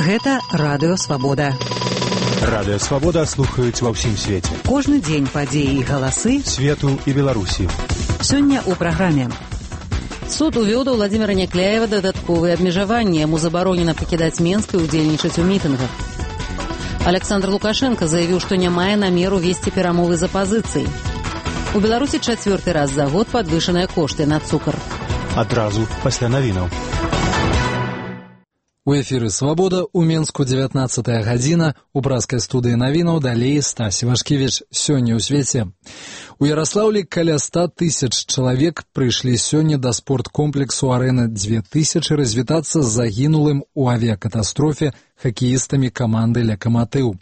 Гэта Радыё Свабода. Радыё Свабода слухаюць ва ўсім свеце. Кожны дзень падзеі і галасы свету і Беларусі. Сёння ў праграме. Суд увёў да Владзіміра Някляева дадатковыя абмежаванні. Яму забаронена пакідаць Менск і ўдзельнічаць у мітынгах. Александр Лукашенко заявіў, што не мае намеру весці перамовы з апазіцыяй. У Беларусі чацвёрты раз за год падвышаныя кошты на цукар. Адразу пасля навінаў. У эфіры «Свабода», у Менску 19 гадзіна, у праскай студыі навінаў далей Стась Івашкевіч. Сёння ў свеце. У Ярослаўлі каля 100 тысяч чалавек прыйшлі сёння да спорткомплексу «Арэна 2000» развітацца з загінулым у авіякатастрофе хакеістамі каманды «Лакаматыў».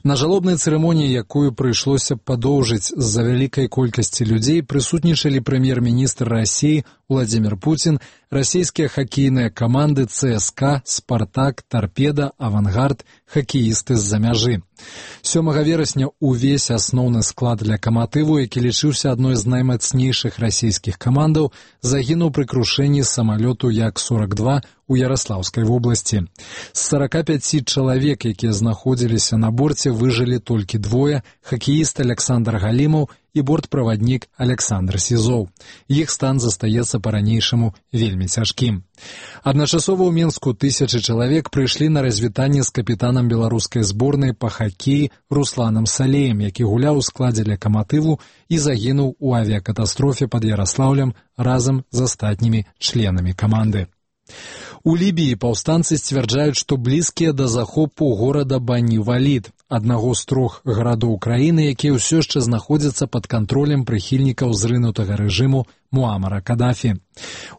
На жалобнай цырымоніі, якую прыйшлося падоўжыць з-за вялікай колькасці людзей, прысутнічалі прэм'ер-міністр Расіі Владзімір Пуцін, расійскія хакейныя каманды ЦСКА, Спартак, Тарпеда, Авангард, хакеісты з-за мяжы. 7 верасня увесь асноўны склад «Лакаматыву», які лічыўся адной з наймацнейшых расійскіх камандаў, загінуў пры крушэнні самалёту Як-42 у Ярослаўскай вобласці. З 45 чалавек, якія знаходзіліся на борце, выжылі толькі двое – хакеіст Александр Галімаў і бортправаднік Александр Сізоў. Іх стан застаецца па-ранейшаму вельмі цяжкім. Адначасова ў Менску тысячы чалавек прыйшлі на развітанне з капітанам беларускай зборнай па хакеі Русланам Салеем, які гуляў у складзе «Лакаматыву» і загінуў у авіякатастрофе пад Ярослаўлем разам з астатнімі членамі каманды. У Лібіі паўстанцы сцвярджаюць, што блізкія да захопу горада Бані-Валід, аднаго з 3 гарадоў краіны, якія ўсё яшчэ знаходзяцца пад кантролем прыхільнікаў зрынутага рэжыму Муамара Кадафі.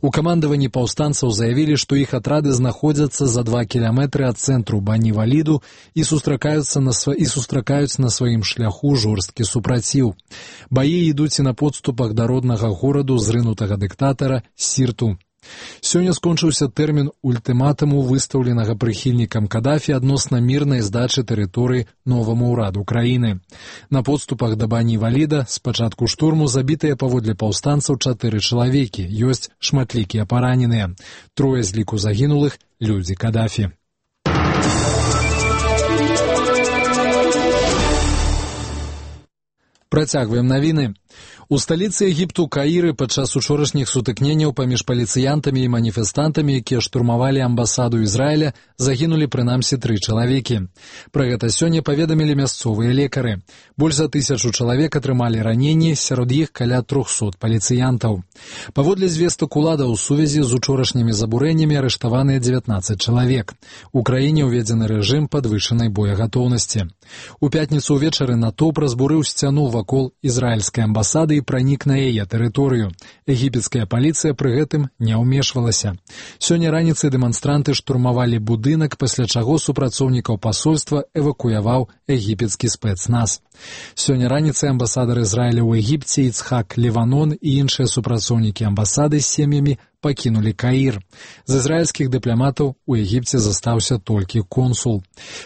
У камандаванні паўстанцаў заявілі, што іх атрады знаходзяцца за 2 кіламетры ад цэнтру Бані-Валіду і сустракаюць на сваім шляху жорсткі супраціў. Баі ідуць і на подступах да роднага гораду зрынутага дыктатара Сірту. Сёння скончыўся тэрмін ультыматуму, выстаўленага прыхільнікам Кадафі адносна мірнай здачы тэрыторыі новаму ўраду краіны. На подступах да Бані-Валіда з пачатку штурму забітыя паводле паўстанцаў 4 чалавекі, ёсць шматлікія параненыя. 3 з ліку загінулых – людзі Кадафі. Працягваем навіны. У сталіцы Егіпту Каіры падчас учорашніх сутыкненняў паміж паліцыянтамі і маніфестантамі, якія штурмавалі амбасаду Ізраіля, загінулі прынамсі 3 чалавекі. Пра гэта сёння паведамілі мясцовыя лекары. Больш за 1000 чалавек атрымалі раненні, сярод іх каля 300 паліцыянтаў. Паводле звестак уладаў, у сувязі з учорашнімі забурэннямі арыштаваныя 19 чалавек. У краіне ўведзены рэжым падвышанай боегатоўнасці. У пятніцу ўвечары натоўп разбурыў сцяну вакол ізраільскай амбасады і пранік на яе тэрыторыю. Егіпецкая паліцыя пры гэтым не ўмешвалася. Сёння раніцай дэманстранты штурмавалі будынак, пасля чаго супрацоўнікаў пасольства эвакуяваў егіпецкі спецназ. Сёння раніцай амбасадар Ізраіля ў Егіпце Ицхак Леванон і іншыя супрацоўнікі амбасады з сем'ямі пакінулі Каір. З ізраільскіх дыпламатаў у Егіпце застаўся толькі консул.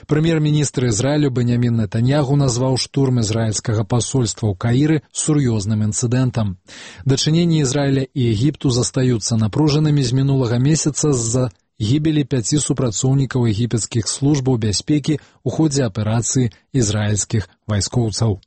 Прэм'ер-міністр Ізраілю Беньямін Нетаньягу назваў штурм ізраільскага пасольства ў Каіры сур'ёзным інцыдэнтам. Дачыненні Ізраіля і Егіпту застаюцца напружанымі з мінулага месяца з-за гібелі 5 супрацоўнікаў егіпецкіх службаў бяспекі ў ходзе аперацыі ізраільскіх вайскоўцаў.